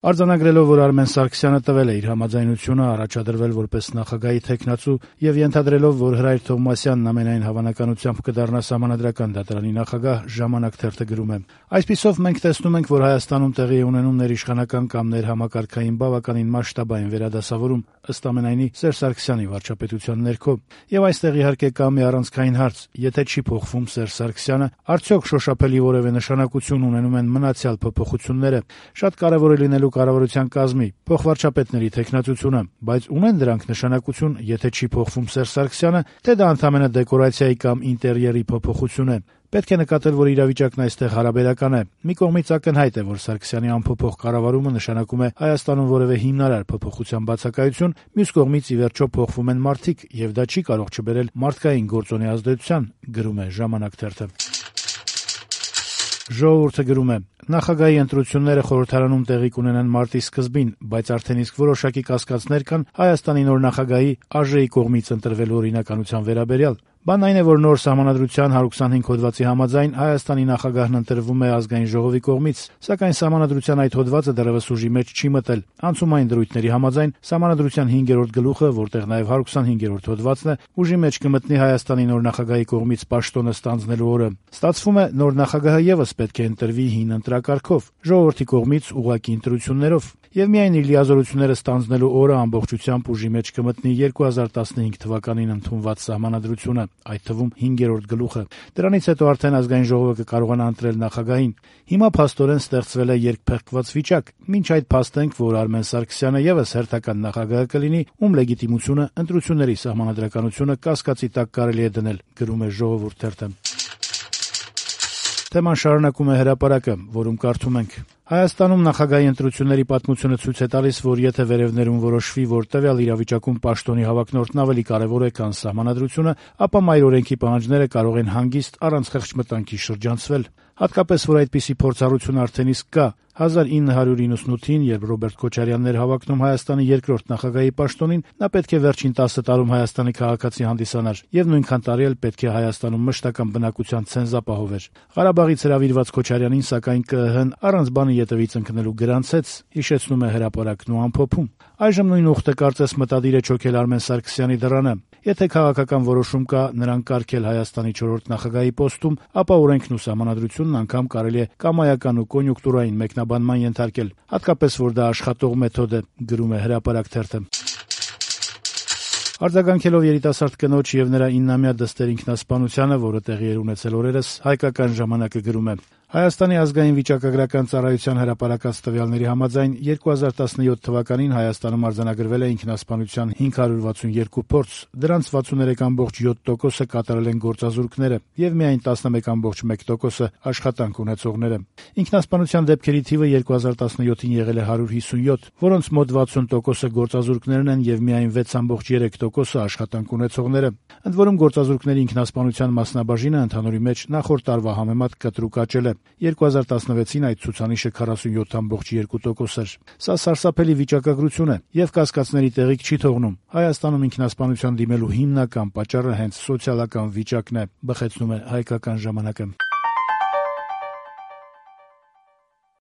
Արձանագրելով, որ Արմեն Սարգսյանը տվել է իր համաձայնությունը առաջադրվել որպես նախագահի թեկնածու եւ ենթադրելով, որ Հրայր Թովմասյանն ամենայն հավանականությամբ կդառնա Սահմանադրական դատարանի նախագահ, «Ժամանակ» թերթը գրում է. «Այսպիսով մենք տեսնում ենք, որ Հայաստանում տեղի է ունենում ներիշխանական կամ ներհամակարգային բավականին մասշտաբային վերադասավորում, ըստ ամենայնի Սերժ Սարգսյանի վարչապետության ներքո։ Եվ այստեղ իհարկե կա մի առանցքային հարց. եթե չի փոխվում Սերժ Սարգսյանը, արդյոք շոշափելի որևէ նշանակություն ունենում են մնացյալ փոփոխությունները։ Շատ կարեւոր է լինելու կառավարության կազմի, փոխվարչապետների թեկնածությունը, բայց ունեն դրանք նշանակություն, եթե չի փոխվում Սերժ Սարգսյանը, թե դա ընդամենը դեկորացիայի կամ ինտերիերի փոփոխություն է։ Պետք է նկատել, որ իրավիճակն այստեղ հարաբերական է։ Մի կողմից ակնհայտ է, որ Սարգսյանի անփոփոխ կառավարումը նշանակում է Հայաստանում որևէ հիմնարար փոփոխության բացակայություն, մյուս կողմից ի վերջո փոխվում են մարդիկ, եւ դա չի կարող չբերել մարդկային գործոնի ազդեցության», գրում է «Ժամանակ» թերթը։ Ժողովուրդը գրում է. «Նախագահի ընտրությունները խորհրդարանում տեղի կունենան մարտի սկզբին, բայց արդեն իսկ որոշակի կասկածներ կան Հայաստանի նոր նախագահի ԱԺ-ի կողմից ընտրվելու օրինականության վերաբերյալ։ Բանն այն է, որ նոր Սահմանադրության 125 հոդվածի համաձայն Հայաստանի նախագահն ընտրվում է Ազգային ժողովի կողմից, սակայն Սահմանադրության այդ հոդվածը դեռևս ուժի մեջ չի մտել։ Անցումային դրույթների համաձայն Սահմանադրության 5-րդ գլուխը, որտեղ նաև 125-րդ հոդվածն է, ուժի մեջ կմտնի Հայաստանի նոր նախագահի կողմից պաշտոնը ստանձնելու օրը։ Ստացվում է, նոր նախագահը եւս պետք է ընտրվի հին ընտրակարգով, ժողովրդի կողմից ուղղակի ընտրություններով, եւ միայն իր լիազորությունները ստանձնելու օրը ամբողջությամբ ուժի մեջ կմտնի 2015 թվականին ընդունված Սահմանադրությունը, այդ թվում 5-րդ գլուխը։ Դրանից հետո արդեն Ազգային ժողովը կկարողանա ընտրել նախագահին։ Հիմա փաստորեն ստեղծվել է երկփեղկված վիճակ։ Մինչ այդ փաստենք, որ Արմեն Սարգսյանը եւս հերթական նախագահը կլինի, ում լեգիտիմությունը ընտրությունների սահմանադրականությունը կասկածի տակ կարելի է դնել», գրում է «Ժողովուրդ» թերթը։ Թեման շարունակում է Հրապարակը, որում կարդում ենք. Հայաստանում նախագահի ընտրությունների պատմությունը ցույց է տալիս, որ եթե վերևներում որոշվի, որ տվյալ իրավիճակում պաշտոնի հավակնորդն ավելի կարևոր է, քան Սահմանադրությունը, ապա մայր օրենքի պահանջները կարող են հանգիստ առանց խեղճմտանքի շրջանցվել։ Հատկապես, որ այդպիսի փորձառություն արդեն իսկ կա։ 1998-ին, երբ Ռոբերտ Քոչարյանն էր հավակնում Հայաստանի երկրորդ նախագահի պաշտոնին, նա պետք է վերջին 10 տարում Հայաստանի քաղաքացի հանդիսանար, եւ նույնքան տարի էլ պետք է Հայաստանում մշտական բնակության ցենզ ապահովեր։ Ղարաբաղից հրավիրված Քոչարյանին, սակայն ԿԸՀ-ն առանց բանի ետևից ընկնելու գրանցեց, հիշեցնում է Հրապարակն ու ամփոփում։ Այժմ նույն ուխտը կարծես մտադիր է չոքել Արմեն Սարգսյանի դռանը։ Եթե քաղաքական որոշում կա նրան կարգել Հայաստանի 4-րդ նախագահի պոստում, ապա օրենքն ու Սահմանադրությունն անգամ կարելի է կամայական ու կոնյունկտուրային մեկնաբանման ենթարկել, հատկապես որ դա աշխատող մեթոդ է, գրում է Հրապարակ թերթը։ Արձագանքելով երիտասարդ կնոջ եւ նրա 9-ամյա դստեր ինքնասպանությանը, որը տեղի էր ունեցել օրերս, Հայկական ժամանակը գրում է. Հայաստանի ազգային վիճակագրական ծառայության հրապարակած տվյալների համաձայն 2017 թվականին Հայաստանում արձանագրվել է ինքնասպանության 562 փորձ, դրանց 63.7%-ը կատարել են գործազուրկները եւ միայն 11.1%-ը աշխատանք ունեցողները։ Ինքնասպանության դեպքերի թիվը 2017-ին եղել է 157, որոնց մոտ 60%-ը գործազուրկներն են եւ միայն 6.3%-ը աշխատանք ունեցողները։ Ընդ որում գործազուրկների ինքնասպանության մասնաբաժինը ընդհանուրի մեջ նախորդ տարվա համեմատ կտրուկ աճել է։ 2016-ին այդ ցուցանիշը 47.2% էր։ Սա սարսափելի վիճակագրություն է եւ կասկածների տեղիք չի թողնում։ Հայաստանում ինքնասպանության դիմելու հիմնական պատճառը հենց սոցիալական վիճակն է, բխեցնում է Հայկական ժամանակը։